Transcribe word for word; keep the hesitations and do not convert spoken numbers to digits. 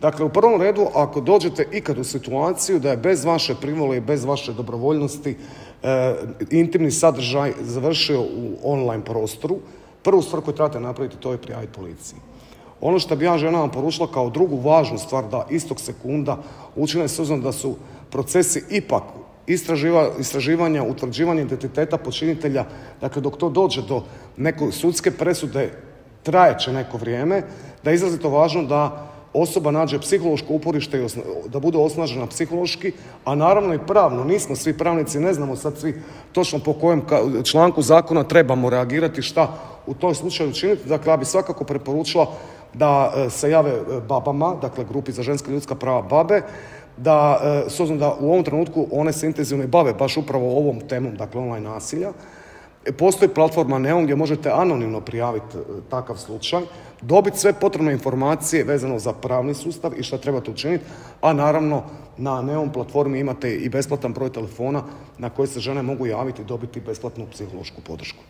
Dakle, u prvom redu, ako dođete ikad u situaciju da je bez vaše privole i bez vaše dobrovoljnosti e, intimni sadržaj završio u online prostoru, prvu stvar koju trebate napraviti to je prijaviti policiji. Ono što bi ja ženama poručila kao drugu važnu stvar, da istog sekunda učine s obzirom da su procesi ipak istraživa, istraživanja, utvrđivanja identiteta počinitelja, dakle dok to dođe do neke sudske presude trajeće neko vrijeme, da je izrazito važno da osoba nađe psihološko uporište i osna, da bude osnažena psihološki, a naravno i pravno. Nismo svi pravnici, ne znamo sad svi točno po kojem članku zakona trebamo reagirati, šta u tom slučaju činiti. Dakle, ja bi svakako preporučila da se jave babama, dakle grupi za ženska ljudska prava babe, da, s obzirom da u ovom trenutku one se intenzivno bave baš upravo ovom temom, dakle online nasilja. Postoji platforma Neon gdje možete anonimno prijaviti takav slučaj, dobiti sve potrebne informacije vezano za pravni sustav i šta trebate učiniti, a naravno na Neon platformi imate i besplatan broj telefona na koji se žene mogu javiti i dobiti besplatnu psihološku podršku.